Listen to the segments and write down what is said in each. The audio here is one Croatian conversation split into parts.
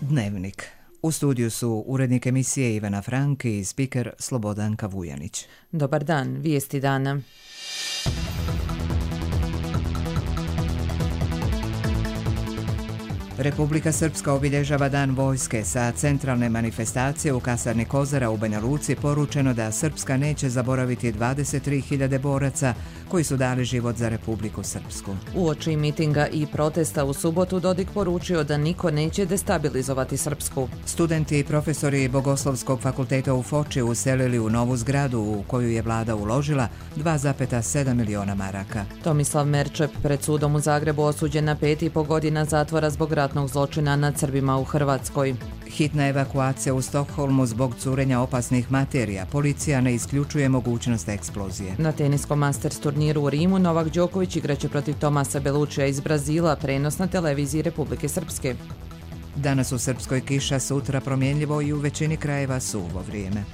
Dnevnik. U studiju su urednik emisije Ivana Frank i spiker Slobodanka Vujanić. Dobar dan, vijesti dana. Republika Srpska obilježava Dan vojske. Sa centralne manifestacije u kasarni Kozara u Banja Luci poručeno da Srpska neće zaboraviti 23.000 boraca koji su dali život za Republiku Srpsku. Uoči mitinga i protesta u subotu Dodik poručio da niko neće destabilizovati Srpsku. Studenti i profesori Bogoslovskog fakulteta u Foči uselili u novu zgradu u koju je vlada uložila 2,7 miliona maraka. Tomislav Merčep pred sudom u Zagrebu osuđen na 5,5 godina zatvora zbog ratnog zločina nad Srbima u Hrvatskoj. Hitna evakuacija u Stokholmu zbog curenja opasnih materija. Policija ne isključuje mogućnost eksplozije. Na teniskom Masters turniru u Rimu Novak Đoković igraće protiv Tomasa Belučija iz Brazila, prenos na televiziji Republike Srpske. Danas u Srpskoj kiša, sutra promjenljivo i u većini krajeva suvo vrijeme.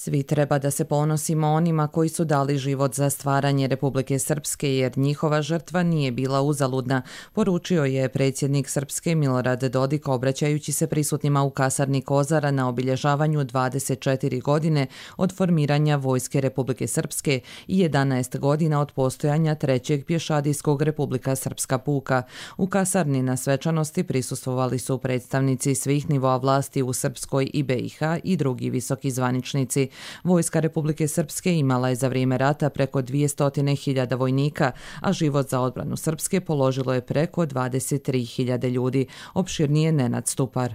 Svi treba da se ponosimo onima koji su dali život za stvaranje Republike Srpske jer njihova žrtva nije bila uzaludna, poručio je predsjednik Srpske Milorad Dodik obraćajući se prisutnima u kasarni Kozara na obilježavanju 24 godine od formiranja Vojske Republike Srpske i 11 godina od postojanja trećeg pješadijskog Republika Srpska puka. U kasarni na svečanosti prisustvovali su predstavnici svih nivoa vlasti u Srpskoj i BiH i drugi visoki zvaničnici. Vojska Republike Srpske imala je za vrijeme rata preko 200.000 vojnika, a život za odbranu Srpske položilo je preko 23.000 ljudi. Opširnije Nenad Stupar.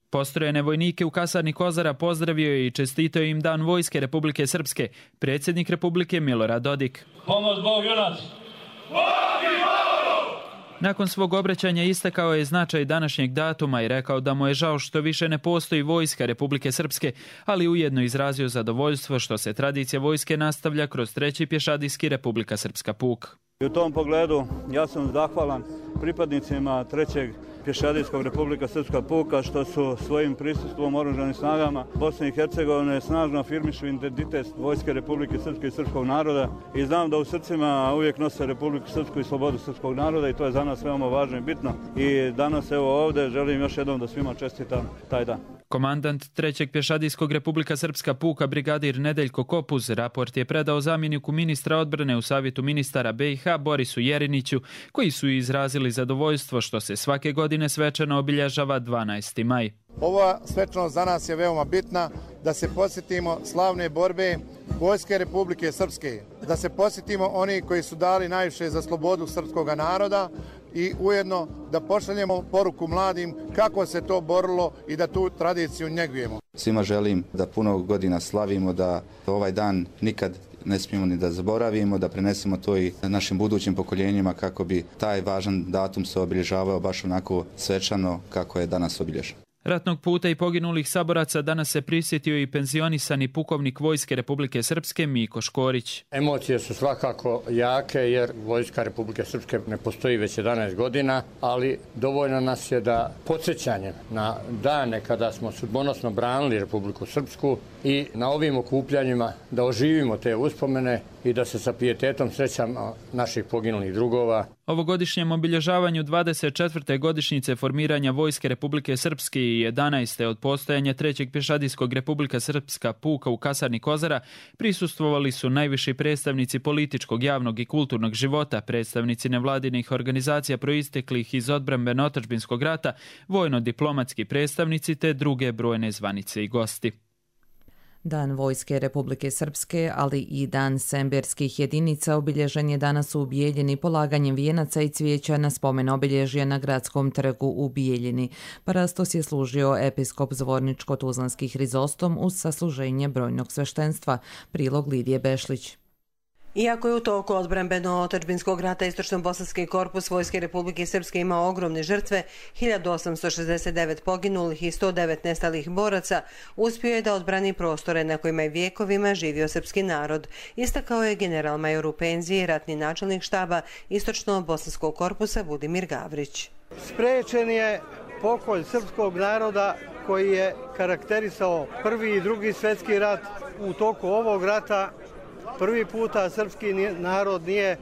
Postrojene vojnike u kasarni Kozara pozdravio je i čestitao im Dan Vojske Republike Srpske, predsjednik Republike Milorad Dodik. Pomoć Bog junaci! Nakon svog obraćanja istakao je značaj današnjeg datuma i rekao da mu je žao što više ne postoji Vojska Republike Srpske, ali ujedno izrazio zadovoljstvo što se tradicija vojske nastavlja kroz treći pješadijski Republika Srpska puk. I u tom pogledu ja sam zahvalan pripadnicima trećeg pješadijskog Republika Srpska puka što su svojim prisustvom oružanim snagama Bosne i Hercegovine snažno afirmišu identitet Vojske Republike Srpske i srpskog naroda i znam da u srcima uvijek nose Republiku Srpsku i slobodu srpskog naroda i to je za nas veoma važno i bitno. I danas evo ovdje želim još jednom da svima čestitam taj dan. Komandant trećeg pješadijskog Republika Srpska puka brigadir Nedeljko Kopuz raport je predao zamjeniku ministra odbrane u Savjetu ministara BiH Borisu Jeriniću, koji su izrazili zadovoljstvo što se svake godine svečano obilježava 12. maj. Ova svečanost za nas je veoma bitna, da se posjetimo slavne borbe Vojske Republike Srpske, da se posjetimo oni koji su dali najviše za slobodu srpskog naroda i ujedno da pošaljemo poruku mladim kako se to borilo i da tu tradiciju njegujemo. Svima želim da puno godina slavimo, da ovaj dan nikad ne smijemo ni da zaboravimo, da prenesemo to i našim budućim pokoljenjima kako bi taj važan datum se obilježavao baš onako svečano kako je danas obilježen. Ratnog puta i poginulih saboraca danas se prisjetio i penzionisani pukovnik Vojske Republike Srpske Miko Škorić. Emocije su svakako jake jer Vojska Republike Srpske ne postoji već 11 godina, ali dovoljno nas je da podsjećanje na dane kada smo sudbonosno branili Republiku Srpsku i na ovim okupljanjima da oživimo te uspomene i da se sa pijetetom srećamo naših poginulih drugova. Ovogodišnjem obilježavanju 24. godišnjice formiranja Vojske Republike Srpske i 11. od postojanja trećeg pješadijskog Republika Srpska puka u kasarni Kozara prisustvovali su najviši predstavnici političkog, javnog i kulturnog života, predstavnici nevladinih organizacija proisteklih iz odbrambeno-otadžbinskog rata, vojno-diplomatski predstavnici te druge brojne zvanice i gosti. Dan Vojske Republike Srpske, ali i Dan semberskih jedinica obilježen je danas u Bijeljini polaganjem vijenaca i cvijeća na spomen obilježja na Gradskom trgu u Bijeljini. Parastos je služio episkop Zvorničko-Tuzlanski Hrizostom uz sasluženje brojnog sveštenstva. Prilog Lidije Bešlić. Iako je u toku odbrambeno-otadžbinskog rata Istočno-bosanski korpus Vojske Republike Srpske imao ogromne žrtve, 1869 poginulih i 109 nestalih boraca, uspio je da odbrani prostore na kojima je vijekovima živio srpski narod, istakao je general-major u penziji, ratni načelnik štaba Istočno-bosanskog korpusa Budimir Gavrić. Sprečen je pokolj srpskog naroda koji je karakterisao prvi i drugi svjetski rat. U toku ovog rata prvi puta srpski narod nije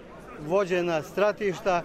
vođena stratišta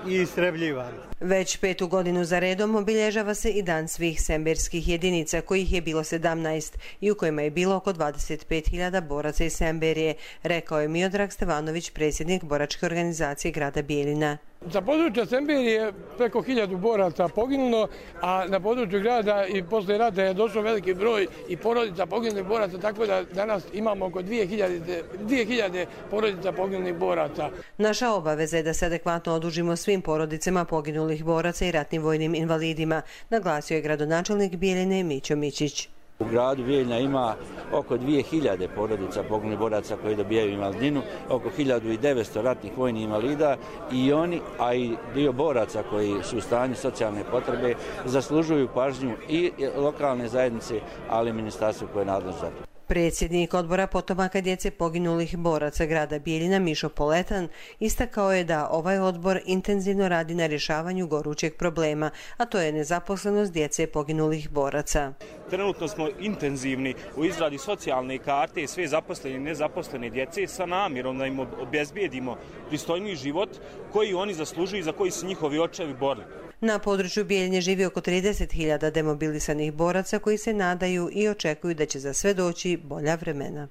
i istrebljivani. Već 5. godinu za redom obilježava se i dan svih semberskih jedinica, kojih je bilo 17 i u kojima je bilo oko 25.000 boraca iz Semberije, rekao je Miodrag Stevanović, predsjednik boračke organizacije grada Bijeljina. Za područje Semberije preko 1000 boraca poginulo, a na području grada i posle rata je došao veliki broj i porodica poginulih boraca, tako da danas imamo oko 2000 porodica poginulih boraca. Naša obaveza je da se adekvatno odužimo svim porodicama poginulih boraca i ratnim vojnim invalidima, naglasio je gradonačelnik Bijeljine Mićo Mićić. U gradu Bijeljina ima oko 2000 porodica poginulih boraca koji dobijaju invalidninu, oko 1900 ratnih vojnih invalida i oni, a i dio boraca koji su u stanju socijalne potrebe, zaslužuju pažnju i lokalne zajednice, ali i ministarstvo koje je nadležno za to. Predsjednik odbora potomaka djece poginulih boraca grada Bijeljina Mišo Poletan istakao je da ovaj odbor intenzivno radi na rješavanju gorućeg problema, a to je nezaposlenost djece poginulih boraca. Trenutno smo intenzivni u izradi socijalne karte sve zaposlene i nezaposlene djece sa namjerom da im obezbijedimo pristojniji život koji oni zaslužuju i za koji su njihovi očevi borili. Na području Bijeljine živi oko 30.000 demobilisanih boraca koji se nadaju i očekuju da će za sve doći bolja vremena.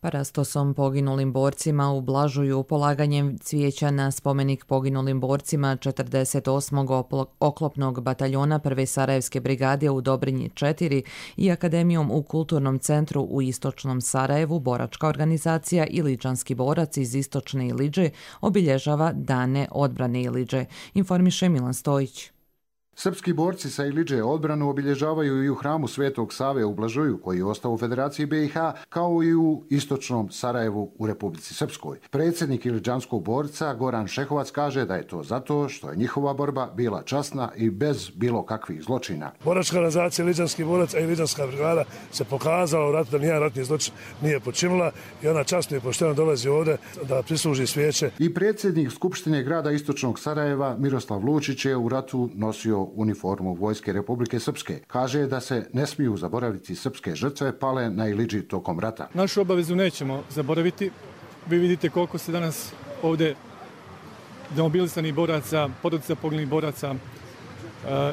Parastosom poginulim borcima ublažuju polaganjem cvijeća na spomenik poginulim borcima 48. oklopnog bataljona 1. Sarajevske brigade u Dobrinji 4 i Akademijom u Kulturnom centru u Istočnom Sarajevu boračka organizacija Iliđanski borac iz Istočne Iliđe obilježava Dane odbrane Iliđe, informiše Milan Stojić. Srpski borci sa Iliđe odbranu obilježavaju i u hramu Svetog Save u Blažuju, koji je ostao u Federaciji BiH, kao i u Istočnom Sarajevu u Republici Srpskoj. Predsjednik Iliđanskog borca Goran Šehovac kaže da je to zato što je njihova borba bila časna i bez bilo kakvih zločina. Boračka organizacija Iliđanski borac, a Iliđanska brigada se pokazala u ratu da nijedan ratni zločin nije počinila i ona časno i pošteno dolazi ovdje da prisluži svijeće. I predsjednik Skupštine grada Istočnog Sarajeva Miroslav Lučić je u ratu nosio uniformu Vojske Republike Srpske. Kaže da se ne smiju zaboraviti srpske žrtve pale na Iliđi tokom rata. Našu obavezu nećemo zaboraviti. Vi vidite koliko se danas ovdje demobilisanih boraca, porodica poginulih boraca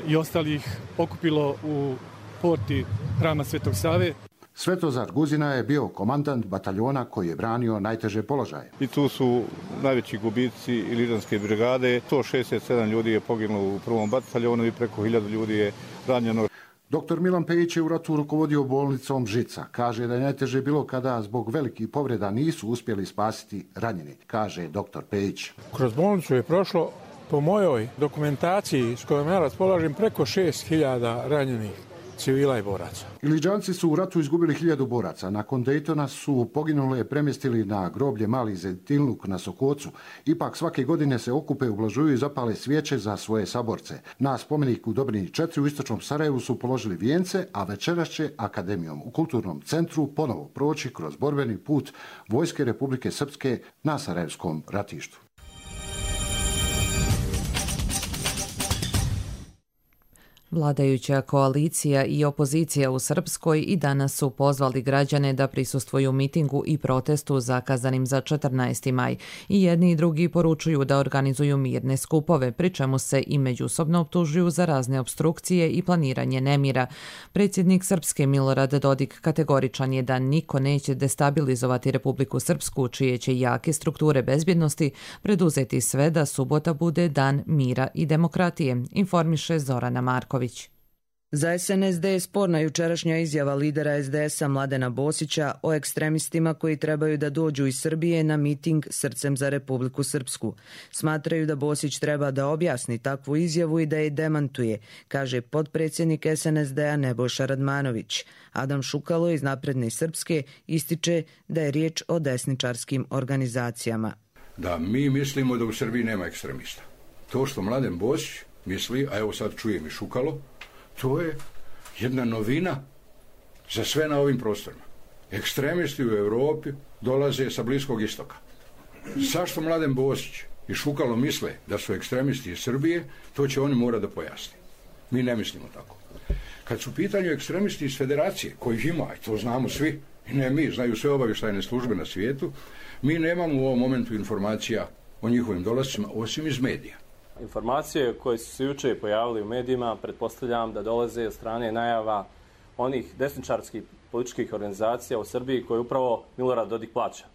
i ostalih okupilo u porti hrama Svetog Save. Svetozar Guzina je bio komandant bataljona koji je branio najteže položaje. I tu su najveći gubici Iliđanske brigade. 167 ljudi je poginulo u prvom bataljonu i preko 1000 ljudi je ranjeno. Dr. Milan Pejić je u ratu rukovodio bolnicom Žica. Kaže da je najteže bilo kada zbog velikih povreda nisu uspjeli spasiti ranjeni, kaže dr. Pejić. Kroz bolnicu je prošlo, po mojoj dokumentaciji s kojom ja raspolažem, preko 6000 ranjenih civila i boraca. Iliđanci su u ratu izgubili 1000 boraca. Nakon Dejtona su poginule premjestili na groblje Mali Zetilnuk na Sokocu. Ipak svake godine se okupe u Blažuju i zapale svijeće za svoje saborce. Na spomeniku u Dobrinji 4 u Istočnom Sarajevu su položili vijence, a večeras će Akademijom u Kulturnom centru ponovo proći kroz borbeni put Vojske Republike Srpske na Sarajevskom ratištu. Vladajuća koalicija i opozicija u Srpskoj i danas su pozvali građane da prisustvuju mitingu i protestu zakazanim za 14. maj i jedni i drugi poručuju da organizuju mirne skupove, pri čemu se i međusobno optužuju za razne opstrukcije i planiranje nemira. Predsjednik Srpske Milorad Dodik kategoričan je da niko neće destabilizovati Republiku Srpsku, čije će jake strukture bezbjednosti preduzeti sve da subota bude dan mira i demokratije, informiše Zorana Marković. Za SNSD je sporna jučerašnja izjava lidera SDS-a Mladena Bosića o ekstremistima koji trebaju da dođu iz Srbije na miting Srcem za Republiku Srpsku. Smatraju da Bosić treba da objasni takvu izjavu i da je demantuje, kaže potpredsjednik SNSD-a Nebojša Radmanović. Adam Šukalo iz Napredne Srpske ističe da je riječ o desničarskim organizacijama. Da, mi mislimo da u Srbiji nema ekstremista. To što Mladen Bosić misli, a evo sad čujem i Šukalo, to je jedna novina za sve na ovim prostorima. Ekstremisti u Europi dolaze sa Bliskog istoka. Zašto Mladen Bosić i Šukalo misle da su ekstremisti iz Srbije, to će oni morati da pojasni. Mi ne mislimo tako. Kad su u pitanju ekstremisti iz Federacije, kojih ima, i to znamo svi, i ne mi, znaju sve obavještajne službe na svijetu, mi nemamo u ovom momentu informacija o njihovim dolascima, osim iz medija. Informacije koje su se juče pojavili u medijima, pretpostavljam da dolaze od strane najava onih desničarskih političkih organizacija u Srbiji koje upravo Milorad Dodik plaća.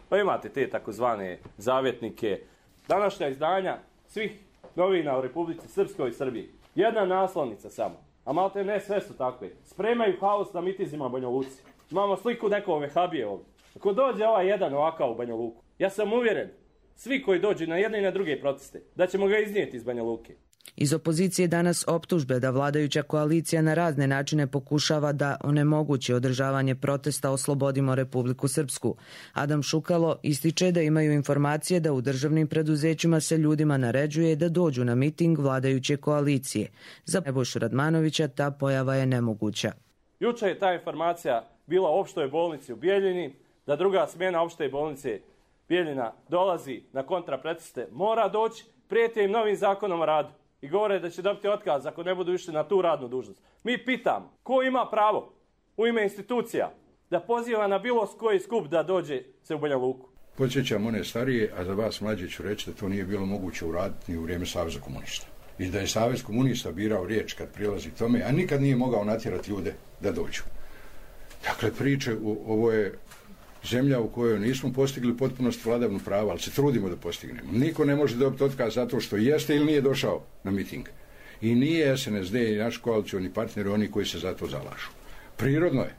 Pa imate te takozvane zavjetnike. Današnja izdanja svih novina u Republici Srpskoj i Srbiji. Jedna naslovnica samo, a malte ne sve su takve. Spremaju haos na mitizima u Banja Luci. Imamo sliku nekog vehabije ovdje. Ako dođe ovaj jedan ovakav u Banja Luku, ja sam uvjeren, svi koji dođu na jedne i na druge proteste, da ćemo ga iznijeti iz Banja Luke. Iz opozicije danas optužbe da vladajuća koalicija na razne načine pokušava da onemogući održavanje protesta Oslobodimo Republiku Srpsku. Adam Šukalo ističe da imaju informacije da u državnim preduzećima se ljudima naređuje da dođu na miting vladajuće koalicije. Za Nebojšu Radmanovića ta pojava je nemoguća. Juče je ta informacija bila u opštoj bolnici u Bijeljini, da druga smjena opšte bolnice Bijeljina dolazi na kontraproteste, mora doći, prijete im novim zakonom o radu i govore da će dobiti otkaz ako ne budu išli na tu radnu dužnost. Mi pitamo, ko ima pravo u ime institucija da poziva na bilo koji skup da dođe se u Banja Luku? Podsjećam one starije, a za vas mlađe ću reći da to nije bilo moguće uraditi ni u vrijeme Saveza komunista. I da je Savez komunista birao riječ kad prilazi tome, a nikad nije mogao natjerati ljude da dođu. Dakle, priče, ovo je zemlja u kojoj nismo postigli potpunost vladavnu prava, ali se trudimo da postignemo. Niko ne može dobiti otkaz zato što jeste ili nije došao na miting. I nije SNSD i naš koalicioni partneri oni koji se za to zalažu. Prirodno je,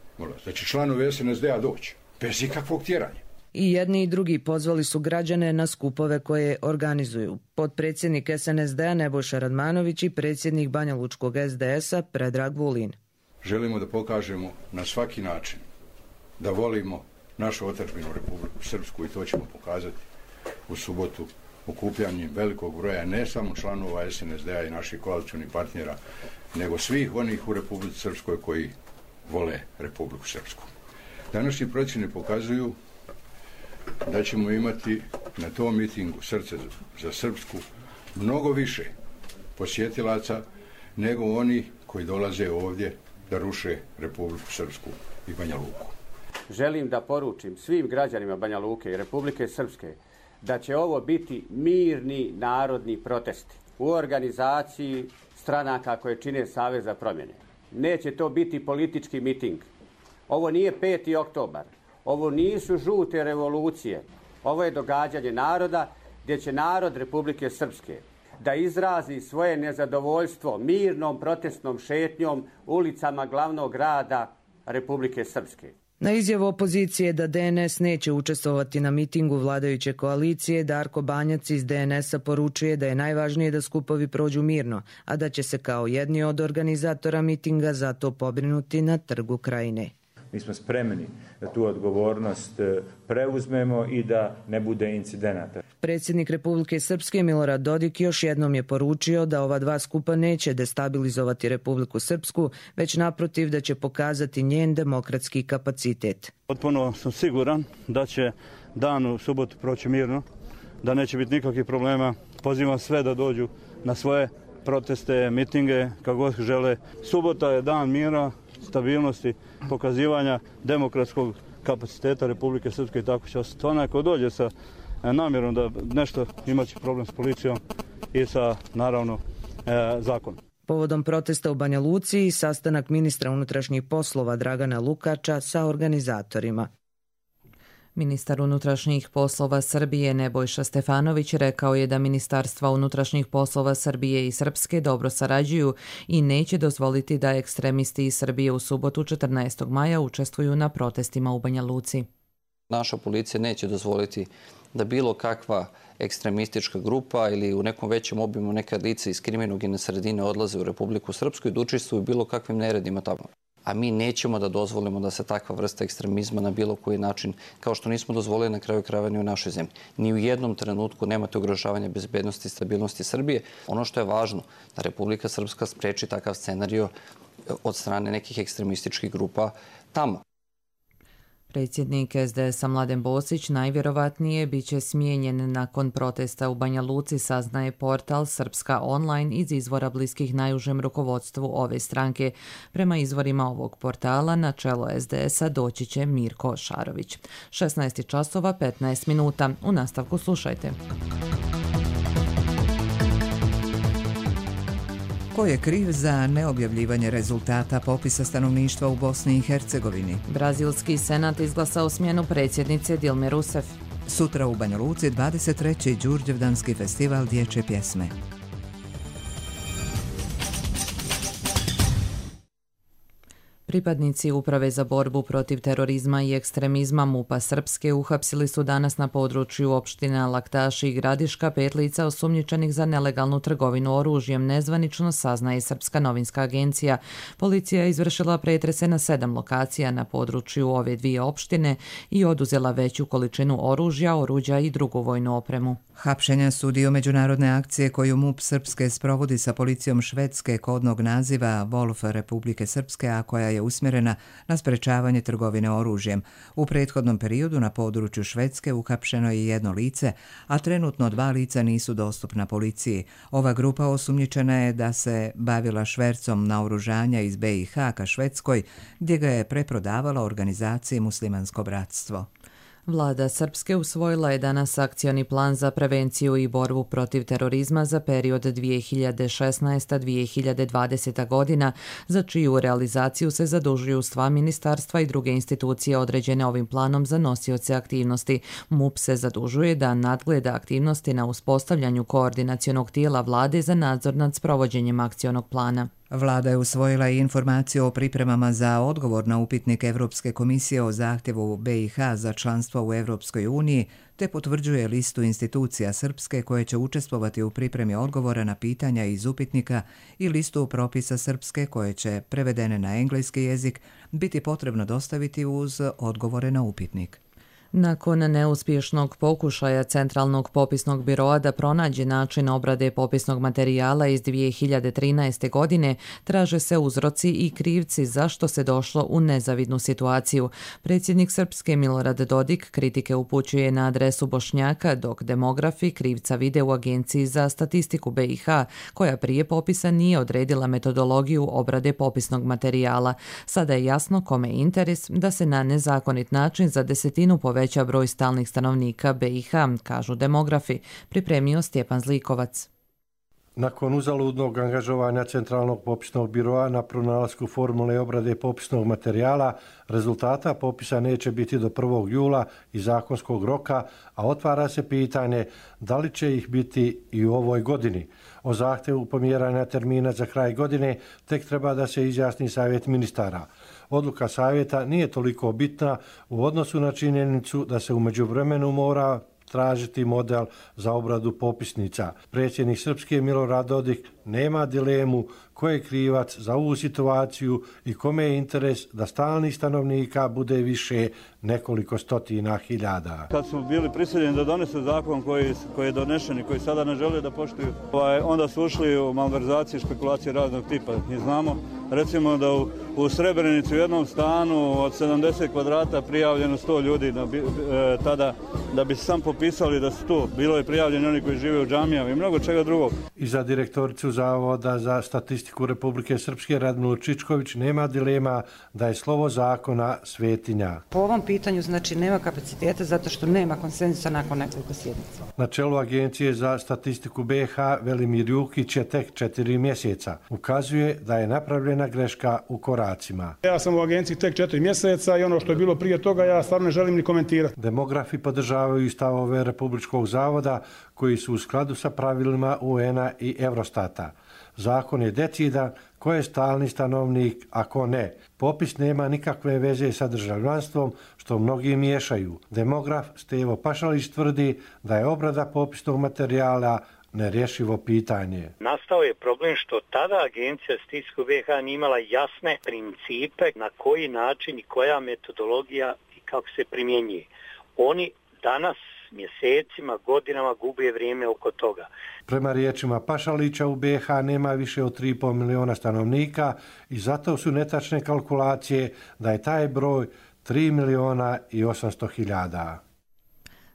da će članovi SNSD-a doći, bez ikakvog tjeranja. I jedni i drugi pozvali su građane na skupove koje organizuju. Potpredsjednik SNSD-a Nebojša Radmanović i predsjednik Banjalučkog SDS-a Predrag Vulin. Želimo da pokažemo na svaki način da volimo našu otadžbinu Republiku Srpsku i to ćemo pokazati u subotu okupljanjem velikog broja ne samo članova SNSD-a i naših koalicijonih partnera, nego svih onih u Republici Srpskoj koji vole Republiku Srpsku. Današnji procjene pokazuju da ćemo imati na tom mitingu Srce za Srpsku mnogo više posjetilaca nego oni koji dolaze ovdje da ruše Republiku Srpsku i Banja Luku. Želim da poručim svim građanima Banja Luke i Republike Srpske da će ovo biti mirni narodni protesti u organizaciji stranaka koje čine Savez za promjene. Neće to biti politički miting. Ovo nije 5. oktobar. Ovo nisu žute revolucije. Ovo je događanje naroda gdje će narod Republike Srpske da izrazi svoje nezadovoljstvo mirnom protestnom šetnjom ulicama glavnog grada Republike Srpske. Na izjavu opozicije da DNS neće učestvovati na mitingu vladajuće koalicije, Darko Banjac iz DNS-a poručuje da je najvažnije da skupovi prođu mirno, a da će se kao jedni od organizatora mitinga za to pobrinuti na Trgu Krajine. Mi smo spremni da tu odgovornost preuzmemo i da ne bude incidenata. Predsjednik Republike Srpske Milorad Dodik još jednom je poručio da ova dva skupa neće destabilizovati Republiku Srpsku, već naprotiv da će pokazati njen demokratski kapacitet. Potpuno sam siguran da će dan u subotu proći mirno, da neće biti nikakvih problema. Pozivam sve da dođu na svoje proteste, mitinge, kako god žele. Subota je dan mira, stabilnosti, pokazivanja demokratskog kapaciteta Republike Srpske i tako će ostati. Onaj ko dođe sa namjerom da nešto imaće problem s policijom i sa, naravno, zakonom. Povodom protesta u Banja Luci i sastanak ministra unutrašnjih poslova Dragana Lukača sa organizatorima. Ministar unutrašnjih poslova Srbije Nebojša Stefanović rekao je da Ministarstva unutrašnjih poslova Srbije i Srpske dobro sarađuju i neće dozvoliti da ekstremisti iz Srbije u subotu 14. maja učestvuju na protestima u Banja Luci. Naša policija neće dozvoliti da bilo kakva ekstremistička grupa ili u nekom većem obimu neka lica iz kriminogene sredine odlaze u Republiku Srpsku i da učestvuju bilo kakvim neredima tamo. A mi nećemo da dozvolimo da se takva vrsta ekstremizma na bilo koji način, kao što nismo dozvolili na kraju krajeva ni u našoj zemlji. Ni u jednom trenutku nemate ugrožavanja bezbednosti i stabilnosti Srbije. Ono što je važno, da Republika Srpska spreči takav scenario od strane nekih ekstremističkih grupa tamo. Predsjednik SDS-a Mladen Bosić najvjerovatnije bit će smijenjen nakon protesta u Banja Luci, saznaje portal Srpska online iz izvora bliskih najužem rukovodstvu ove stranke. Prema izvorima ovog portala na čelo SDS-a doći će Mirko Šarović. 16 časova 15 minuta. U nastavku slušajte. Ko je kriv za neobjavljivanje rezultata popisa stanovništva u Bosni i Hercegovini? Brazilski senat izglasao smjenu predsjednice Dilme Rousseff. Sutra u Banja Luci 23. Đurđevdanski festival dječje pjesme. Pripadnici Uprave za borbu protiv terorizma i ekstremizma MUP-a Srpske uhapsili su danas na području opština Laktaši i Gradiška 5 lica osumnjičenih za nelegalnu trgovinu oružjem, nezvanično saznaje Srpska novinska agencija. Policija je izvršila pretrese na 7 lokacija na području ove dvije opštine i oduzela veću količinu oružja, oruđa i drugu vojnu opremu. Hapšenja su dio međunarodne akcije koju MUP Srpske sprovodi sa policijom Švedske kodnog naziva Wolf Republike Srpske, a koja je usmjerena na sprečavanje trgovine oružjem. U prethodnom periodu na području Švedske uhapšeno je 1 lice, a trenutno 2 lica nisu dostupna policiji. Ova grupa osumnjičena je da se bavila švercom naoružanja iz BiH ka Švedskoj, gdje ga je preprodavala organizaciji Muslimansko bratstvo. Vlada Srpske usvojila je danas akcioni plan za prevenciju i borbu protiv terorizma za period 2016-2020 godina, za čiju realizaciju se zadužuju sva ministarstva i druge institucije određene ovim planom za nosioce aktivnosti. MUP se zadužuje da nadgleda aktivnosti na uspostavljanju koordinacionog tijela vlade za nadzor nad sprovođenjem akcionog plana. Vlada je usvojila i informaciju o pripremama za odgovor na upitnik Evropske komisije o zahtjevu BiH za članstvo u Evropskoj uniji, te potvrđuje listu institucija Srpske koje će učestvovati u pripremi odgovora na pitanja iz upitnika i listu propisa Srpske koje će, prevedene na engleski jezik, biti potrebno dostaviti uz odgovore na upitnik. Nakon neuspješnog pokušaja Centralnog popisnog biroa da pronađe način obrade popisnog materijala iz 2013. godine, traže se uzroci i krivci zašto se došlo u nezavidnu situaciju. Predsjednik Srpske Milorad Dodik kritike upućuje na adresu Bošnjaka, dok demografi krivca vide u Agenciji za statistiku BiH, koja prije popisa nije odredila metodologiju obrade popisnog materijala. Sada je jasno kome je interes da se na nezakonit način za 10 poveća broj stalnih stanovnika BiH, kažu demografi, pripremio Stjepan Zlikovac. Nakon uzaludnog angažovanja Centralnog popisnog biroa na pronalasku formule obrade popisnog materijala, rezultata popisa neće biti do 1. jula i zakonskog roka, a otvara se pitanje da li će ih biti i u ovoj godini. O zahtjevu pomjeranja termina za kraj godine tek treba da se izjasni savjet ministara. Odluka savjeta nije toliko bitna u odnosu na činjenicu da se u međuvremenu mora tražiti model za obradu popisnica. Predsjednik Srpske Milorad Dodik nema dilemu ko je krivac za ovu situaciju i kome je interes da stalnih stanovnika bude više nekoliko stotina hiljada. Kad su bili prisiljeni da donesu zakon koji je donešen i koji sada ne žele da poštuju, onda su ušli u malverzacije i špekulacije raznog tipa. I znamo, recimo da u Srebrenici u jednom stanu od 70 kvadrata prijavljeno 100 ljudi tada da bi se sam popisali da su tu. Bilo je prijavljeni oni koji žive u džamijama i mnogo čega drugog. I za direktoricu Zavoda za statistiku Republike Srpske Radmilu Čičković nema dilema da je slovo zakona svetinja. Po ovom pitanju znači nema kapaciteta zato što nema konsenzusa nakon nekoliko sjednica. Na čelu Agencije za statistiku BiH Velimir Jukić je tek 4 mjeseca. Ukazuje da je napravljena greška u koracima. Ja sam u agenciji tek 4 mjeseca i ono što je bilo prije toga ja stvarno ne želim ni komentirati. Demografi podržavaju stavove Republičkog zavoda koji su u skladu sa pravilima UN-a i Eurostata. Zakon je decidan ko je stalni stanovnik, a ko ne. Popis nema nikakve veze sa državljanstvom, što mnogi miješaju. Demograf Stevo Pašalić tvrdi da je obrada popisnog materijala nerješivo pitanje. Nastao je problem što tada Agencija za statistiku BiH nije imala jasne principe na koji način i koja metodologija i kako se primjenjuje. Oni danas mjesecima, godinama gube vrijeme oko toga. Prema riječima Pašalića u BiH nema više od 3,5 miliona stanovnika i zato su netačne kalkulacije da je taj broj 3.800.000.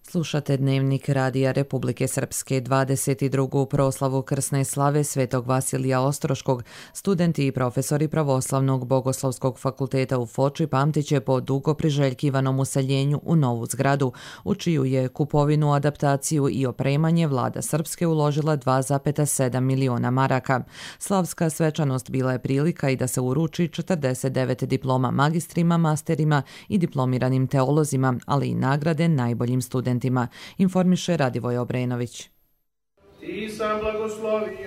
Slušate Dnevnik Radija Republike Srpske. 22. proslavu krsne slave Svetog Vasilija Ostroškog studenti i profesori Pravoslavnog Bogoslovskog fakulteta u Foči pamtit će po dugo priželjkivanom useljenju u novu zgradu, u čiju je kupovinu, adaptaciju i opremanje vlada Srpske uložila 2,7 miliona maraka. Slavska svečanost bila je prilika i da se uruči 49 diploma magistrima, masterima i diplomiranim teolozima, ali i nagrade najboljim studentima, informiše Radivoj Obrenović.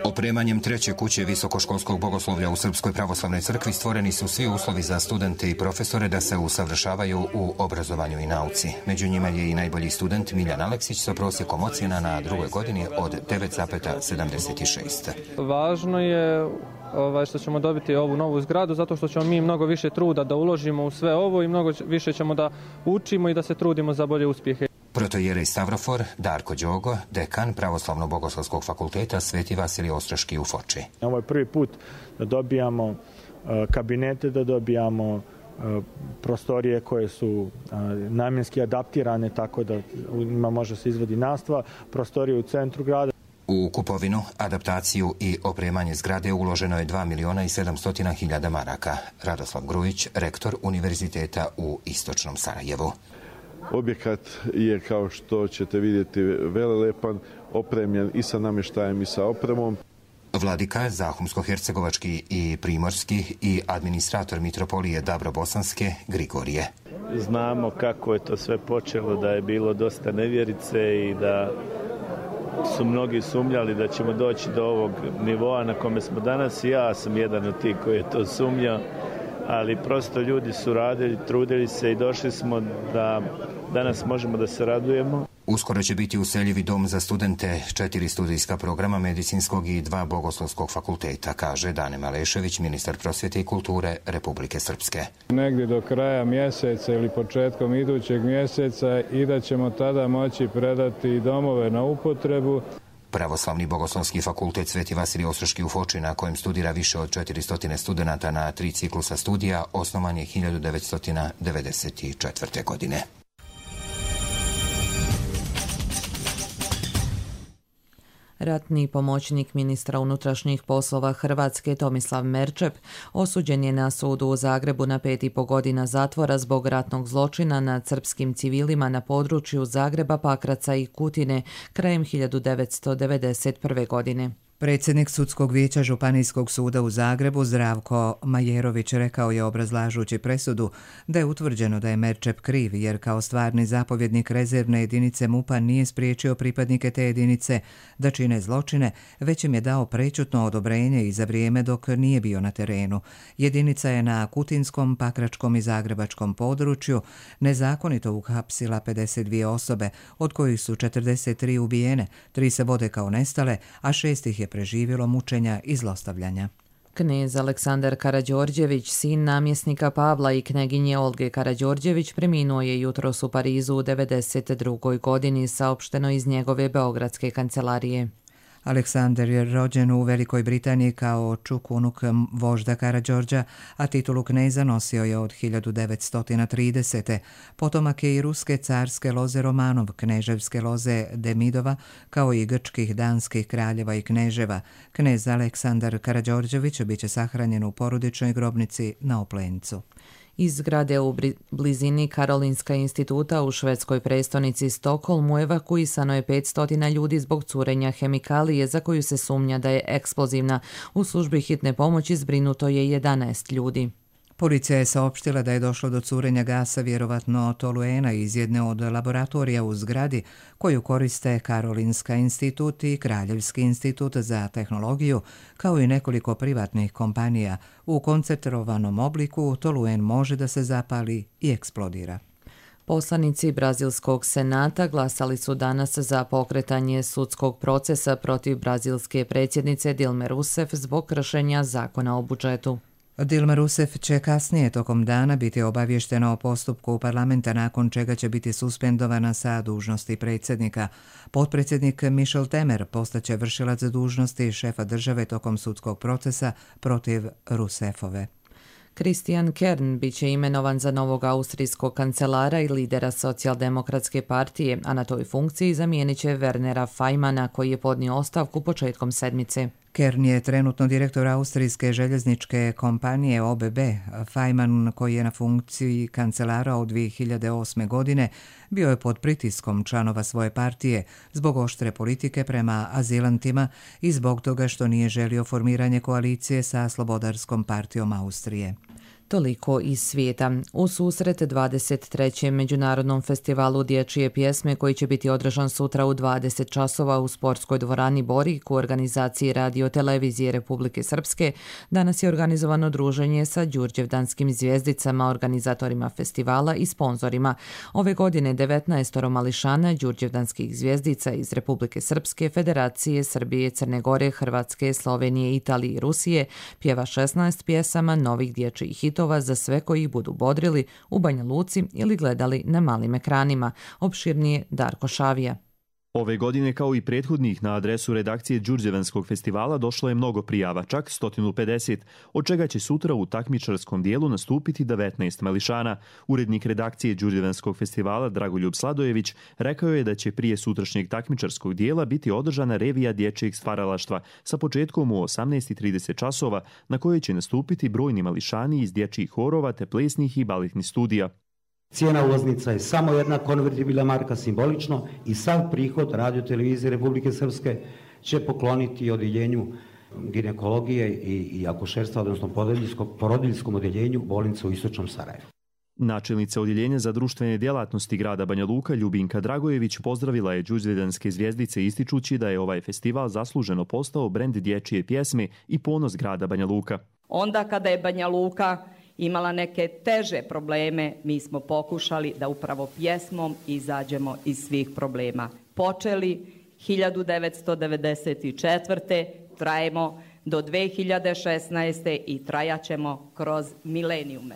Opremanjem treće kuće visokoškolskog bogoslovlja u Srpskoj pravoslavnoj crkvi stvoreni su svi uslovi za studente i profesore da se usavršavaju u obrazovanju i nauci. Među njima je i najbolji student Miljan Aleksić sa prosjekom ocjena na drugoj godini od 9,76. Važno je što ćemo dobiti ovu novu zgradu, zato što ćemo mi mnogo više truda da uložimo u sve ovo i mnogo više ćemo da učimo i da se trudimo za bolje uspjehe. Protojerej Stavrofor Darko Đogo, dekan Pravoslavno-bogoslovskog fakulteta Sveti Vasilij Ostroški u Foči. Ovo je prvi put da dobijamo kabinete, da dobijamo prostorije koje su namjenski adaptirane tako da u njima može se izvodi nastava, prostorije u centru grada. U kupovinu, adaptaciju i opremanje zgrade uloženo je 2.700.000 maraka. Radoslav Grujić, rektor Univerziteta u Istočnom Sarajevu. Objekat je, kao što ćete vidjeti, velelepan, opremljen i sa namještajem i sa opremom. Vladika Zahumsko-hercegovački i primorski i administrator mitropolije Dabro-Bosanske Grigorije. Znamo kako je to sve počelo, da je bilo dosta nevjerice i da su mnogi sumnjali da ćemo doći do ovog nivoa na kome smo danas. Ja sam jedan od tih koji je to sumnjao, ali prosto ljudi su radili, trudili se i došli smo da danas možemo da se radujemo. Uskoro će biti useljivi dom za studente, 4 studijska programa medicinskog i 2 bogoslovskog fakulteta, kaže Dane Malešević, ministar prosvjete i kulture Republike Srpske. Negdje do kraja mjeseca ili početkom idućeg mjeseca i da ćemo tada moći predati domove na upotrebu. Pravoslavni bogoslovski fakultet Sveti Vasilij Ostroški u Foči, na kojem studira više od 400 studenata na 3 ciklusa studija, osnovan je 1994. godine. Ratni pomoćnik ministra unutrašnjih poslova Hrvatske Tomislav Merčep osuđen je na sudu u Zagrebu na 5,5 godina zatvora zbog ratnog zločina nad srpskim civilima na području Zagreba, Pakraca i Kutine krajem 1991. godine. Predsjednik Sudskog vijeća Županijskog suda u Zagrebu Zdravko Majerović rekao je, obrazlažući presudu, da je utvrđeno da je Merčep kriv jer kao stvarni zapovjednik rezervne jedinice MUP-a nije spriječio pripadnike te jedinice da čine zločine, već im je dao prečutno odobrenje i za vrijeme dok nije bio na terenu. Jedinica je na kutinskom, pakračkom i zagrebačkom području nezakonito uhapsila 52 osobe, od kojih su 43 ubijene, 3 se vode kao nestale, a 6 ih je preživjelo mučenja i zlostavljanja. Knez Aleksandar Karađorđević, sin namjesnika Pavla i kneginje Olge Karađorđević, preminuo je jutros u Parizu u 92. godini, saopšteno iz njegove beogradske kancelarije. Aleksandar je rođen u Velikoj Britaniji kao čuk unuk vožda Karađorđa, a titulu kneza nosio je od 1930. Potomak je i ruske carske loze Romanov, kneževske loze Demidova, kao i grčkih, danskih kraljeva i kneževa. Knez Aleksandar Karađorđević biće sahranjen u porodičnoj grobnici na Oplencu. Iz zgrade u blizini Karolinska instituta u švedskoj prestonici Stokholmu evakuisano je 500 ljudi zbog curenja hemikalije za koju se sumnja da je eksplozivna. U službi hitne pomoći zbrinuto je 11 ljudi. Policija je saopštila da je došlo do curenja gasa vjerovatno toluena iz jedne od laboratorija u zgradi koju koriste Karolinska institut i Kraljevski institut za tehnologiju, kao i nekoliko privatnih kompanija. U koncentrovanom obliku toluen može da se zapali i eksplodira. Poslanici Brazilskog senata glasali su danas za pokretanje sudskog procesa protiv brazilske predsjednice Dilme Rousseff zbog kršenja zakona o budžetu. Dilma Rousseff će kasnije tokom dana biti obavještena o postupku parlamenta, nakon čega će biti suspendovana sa dužnosti predsjednika. Potpredsjednik Michel Temer postaće vršilac dužnosti šefa države tokom sudskog procesa protiv Rousseffove. Christian Kern biće imenovan za novog austrijskog kancelara i lidera socijaldemokratske partije, a na toj funkciji zamijenit će Wernera Fajmana koji je podnio ostavku početkom sedmice. Kern je trenutno direktor austrijske željezničke kompanije OBB. Fajman, koji je na funkciji kancelara od 2008. godine, bio je pod pritiskom članova svoje partije zbog oštre politike prema azilantima i zbog toga što nije želio formiranje koalicije sa Slobodarskom partijom Austrije. Toliko iz svijeta. U susret 23. Međunarodnom festivalu dječje pjesme koji će biti održan sutra u 20 časova u sportskoj dvorani Borik u organizaciji Radio Televizije Republike Srpske, danas je organizovano druženje sa đurđevdanskim zvijezdicama, organizatorima festivala i sponzorima. Ove godine 19 mališana đurđevdanskih zvijezdica iz Republike Srpske, Federacije Srbije, Crne Gore, Hrvatske, Slovenije, Italije i Rusije pjeva 16 pjesama novih dječjih hitova za sve koji ih budu bodrili u Banja Luci ili gledali na malim ekranima. Opširnije Darko Šavija. Ove godine, kao i prethodnih, na adresu redakcije Đurđevanskog festivala došlo je mnogo prijava, čak 150, od čega će sutra u takmičarskom dijelu nastupiti 19 mališana. Urednik redakcije Đurđevanskog festivala Dragoljub Sladojević rekao je da će prije sutrašnjeg takmičarskog dijela biti održana revija dječjeg stvaralaštva sa početkom u 18:30 časova, na kojoj će nastupiti brojni mališani iz dječjih horova te plesnih i baletnih studija. Cijena ulaznica je samo jedna konvertibilna marka, simbolično, i sav prihod Radio Televizije Republike Srpske će pokloniti odjeljenju ginekologije i akušerstva, odnosno porodiljskom odjeljenju bolnice u Istočnom Sarajevu. Načelnica odjeljenja za društvene djelatnosti grada Banja Luka Ljubinka Dragojević pozdravila je đurđevdanske zvijezdice ističući da je ovaj festival zasluženo postao brend dječje pjesme i ponos grada Banja Luka. Onda kada je Banja Luka imala neke teže probleme, mi smo pokušali da upravo pjesmom izađemo iz svih problema. Počeli 1994. trajemo do 2016. i trajaćemo kroz milenijume.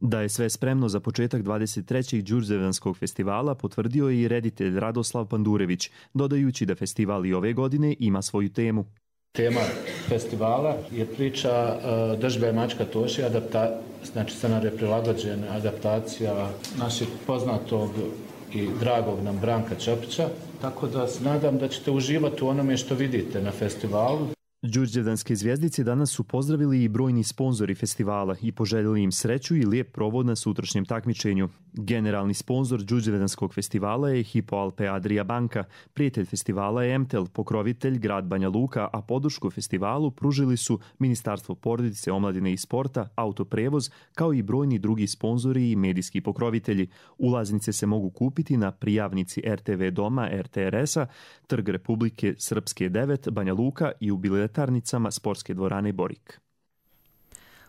Da je sve spremno za početak 23. đurđevdanskog festivala potvrdio je i reditelj Radoslav Pandurević, dodajući da festival i ove godine ima svoju temu. Tema festivala je priča Držba je mačka Toši, znači scenarij prilagođen, adaptacija našeg poznatog i dragog nam Branka Čopića, tako da se nadam da ćete uživati u onome što vidite na festivalu. Đurđevdanske zvijezdice danas su pozdravili i brojni sponzori festivala i poželjeli im sreću i lijep provod na sutrašnjem takmičenju. Generalni sponzor Đurđevdanskog festivala je Hypo Alpe Adria banka, prijatelj festivala je MTEL, pokrovitelj grad Banja Luka, a podršku festivalu pružili su Ministarstvo porodice, omladine i sporta, autoprevoz, kao i brojni drugi sponzori i medijski pokrovitelji. Ulaznice se mogu kupiti na prijavnici RTV Doma RTRS-a, Trg Republike Srpske 9, Banja Luka i u biletarnicama Sportske dvorane Borik.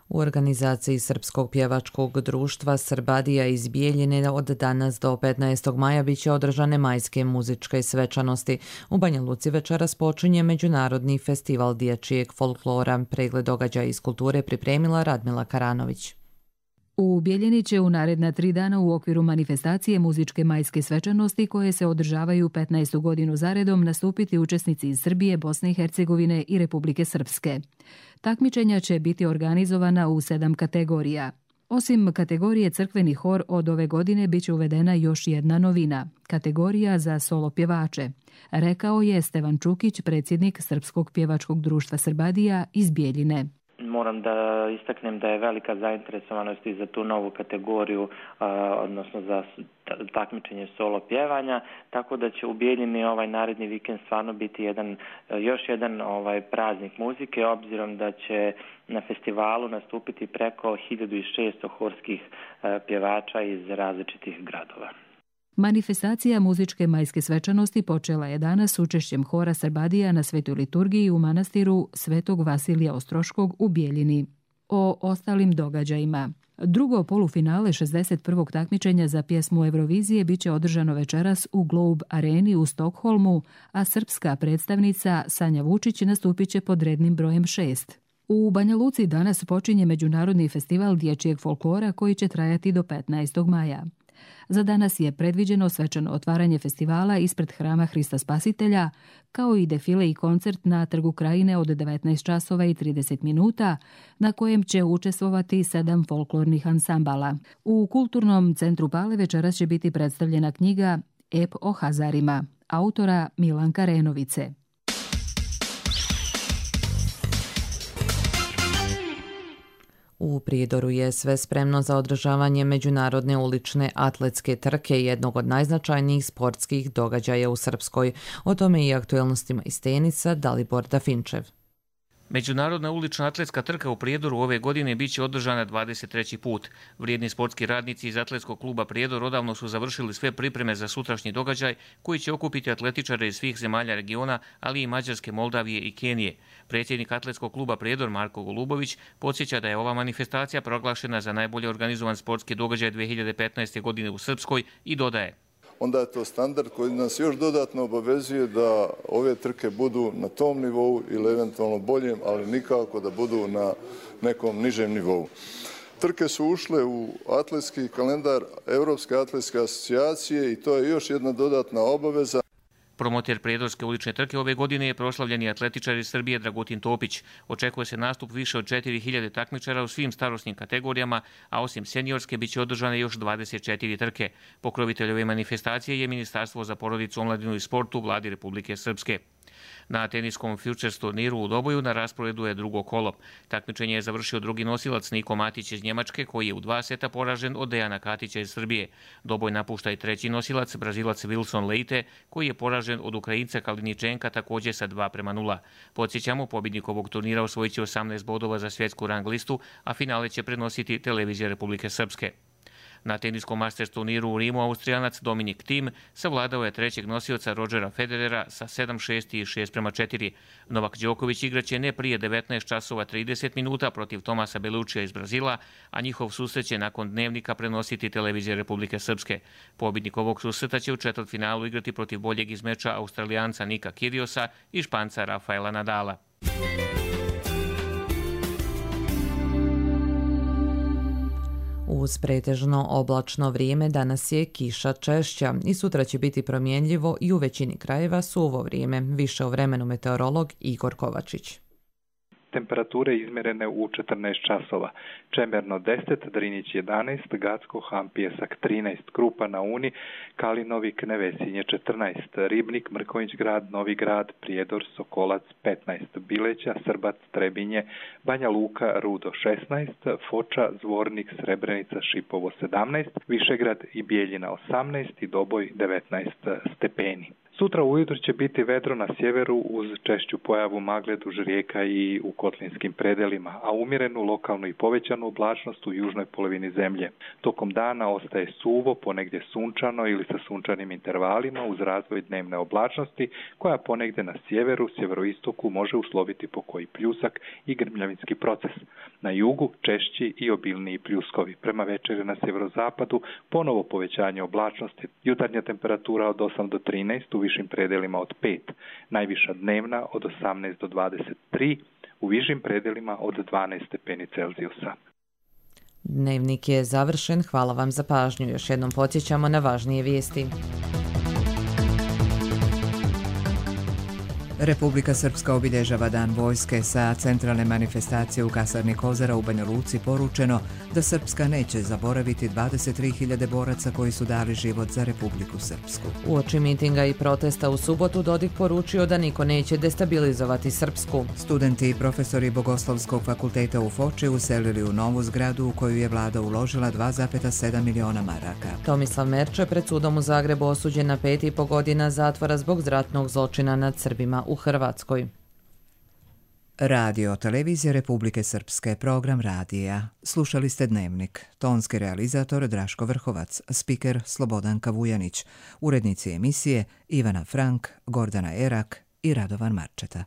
U organizaciji Srpskog pjevačkog društva Srbadija iz Bijeljine od danas do 15. maja biće održane majske muzičke svečanosti. U Banja Luci večeras počinje Međunarodni festival dječjeg folklora. Pregled događaja iz kulture pripremila Radmila Karanović. U Bijeljini će u naredna 3 dana u okviru manifestacije muzičke majske svečanosti koje se održavaju 15. godinu zaredom nastupiti učesnici iz Srbije, Bosne i Hercegovine i Republike Srpske. Takmičenja će biti organizovana u 7 kategorija. Osim kategorije crkveni hor, od ove godine biće uvedena još jedna novina – kategorija za solo pjevače, rekao je Stevan Čukić, predsjednik Srpskog pjevačkog društva Srbadija iz Bijeljine. Moram da istaknem da je velika zainteresovanost i za tu novu kategoriju, odnosno za takmičenje solo pjevanja, tako da će u Bijeljini ovaj naredni vikend stvarno biti još jedan praznik muzike, obzirom da će na festivalu nastupiti preko 1600 horskih pjevača iz različitih gradova. Manifestacija muzičke majske svečanosti počela je danas s učešćem hora Srbadija na svetoj liturgiji u manastiru Svetog Vasilija Ostroškog u Bijeljini. O ostalim događajima. Drugo polufinale 61. takmičenja za pjesmu Eurovizije biće održano večeras u Globe Areni u Stokholmu, a srpska predstavnica Sanja Vučić nastupit će pod rednim brojem 6. U Banja Luci danas počinje Međunarodni festival dječjeg folklora koji će trajati do 15. maja. Za danas je predviđeno svečano otvaranje festivala ispred Hrama Hrista Spasitelja, kao i defile i koncert na Trgu Krajine od 19 časova i 30 minuta, na kojem će učestvovati 7 folklornih ansambala. U Kulturnom centru Pale večeras će biti predstavljena knjiga Ep o Hazarima, autora Milanka Renovice. U Prijedoru je sve spremno za održavanje međunarodne ulične atletske trke, jednog od najznačajnijih sportskih događaja u Srpskoj. O tome i aktuelnostima iz tenica Dalibor Dafinčev. Međunarodna ulična atletska trka u Prijedoru ove godine biće održana 23. put. Vrijedni sportski radnici iz atletskog kluba Prijedor odavno su završili sve pripreme za sutrašnji događaj koji će okupiti atletičare iz svih zemalja regiona, ali i Mađarske, Moldavije i Kenije. Predsjednik atletskog kluba Prijedor Marko Golubović podsjeća da je ova manifestacija proglašena za najbolje organizovan sportski događaj 2015. godine u Srpskoj i dodaje: onda je to standard koji nas još dodatno obavezuje da ove trke budu na tom nivou ili eventualno boljem, ali nikako da budu na nekom nižem nivou. Trke su ušle u atletski kalendar Europske atletske asocijacije i to je još jedna dodatna obaveza. Promoter Prijedorske ulične trke ove godine je proslavljeni atletičar iz Srbije Dragutin Topić. Očekuje se nastup više od 4000 takmičara u svim starosnim kategorijama, a osim seniorske biće održane još 24 trke. Pokrovitelj ove manifestacije je Ministarstvo za porodicu, omladinu i sport u Vladi Republike Srpske. Na teniskom Futures turniru u Doboju na rasporedu je drugo kolo. Takmičenje je završio drugi nosilac Niko Matić iz Njemačke, koji je u 2 seta poražen od Dejana Katića iz Srbije. Doboj napušta i treći nosilac, Brazilac Wilson Leite, koji je poražen od Ukrajinca Kaliničenka također sa 2:0. Podsjećamo, pobjednik ovog turnira osvojit će 18 bodova za svjetsku rang listu, a finale će prenositi televizija Republike Srpske. Na teniskom Masters turniru u Rimu Austrijanac Dominik Thiem savladao je trećeg nosioca Rodgera Federera sa 7:6 i 6:4. Novak Đoković igraće ne prije 19 časova 30 minuta protiv Tomasa Belučija iz Brazila, a njihov susret će nakon Dnevnika prenositi televizija Republike Srpske. Pobjednik ovog susreta će u četvrtfinalu igrati protiv boljeg iz meča Australijanca Nika Kyrgiosa i Španca Rafaela Nadala. Uz pretežno oblačno vrijeme danas je kiša češća i sutra će biti promjenljivo i u većini krajeva suvo vrijeme. Više o vremenu meteorolog Igor Kovačić. Temperature izmjerene u 14 časova. Čemerno 10, Drinić 11, Gacko, Han, Pjesak 13, Krupa na Uni, Kalinovik, Nevesinje 14, Ribnik, Mrkonjić grad, Novi grad, Prijedor, Sokolac 15, Bileća, Srbac, Trebinje, Banja Luka, Rudo 16, Foča, Zvornik, Srebrenica, Šipovo 17, Višegrad i Bijeljina 18 i Doboj 19 stepeni. Sutra ujutro će biti vedro na sjeveru uz češću pojavu magle duž rijeka i u kotlinskim predelima, a umjerenu lokalnu i povećanu oblačnost u južnoj polovini zemlje. Tokom dana ostaje suvo, ponegdje sunčano ili sa sunčanim intervalima uz razvoj dnevne oblačnosti koja ponegdje na sjeveru, sjeveroistoku može usloviti po koji pljusak i grmljavinski proces. Na jugu češći i obilniji pljuskovi. Prema večeri na sjeverozapadu ponovo povećanje oblačnosti. Jutarnja temperatura od 8 do 13, u višim predelima od 5, najviša dnevna od 18 do 23, u višim predelima od 12 stepeni Celzijusa. Dnevnik je završen, hvala vam za pažnju. Još jednom podsjećamo na važnije vijesti. Republika Srpska obilježava Dan vojske. Sa centralne manifestacije u kasarni Kozara u Banja Luci poručeno da Srpska neće zaboraviti 23.000 boraca koji su dali život za Republiku Srpsku. Uoči mitinga i protesta u subotu Dodik poručio da niko neće destabilizovati Srpsku. Studenti i profesori Bogoslovskog fakulteta u Foči uselili u novu zgradu u koju je vlada uložila 2,7 miliona maraka. Tomislav Merče pred sudom u Zagrebu osuđen na 5,5 godina zatvora zbog ratnog zločina nad Srbima u Hrvatskoj. Radio Televizija Republike Srpske, program radija. Slušali ste Dnevnik. Tonski realizator Draško Vrhovac, spiker Slobodanka Vujanić, urednici emisije Ivana Frank, Gordana Erak i Radovan Marčeta.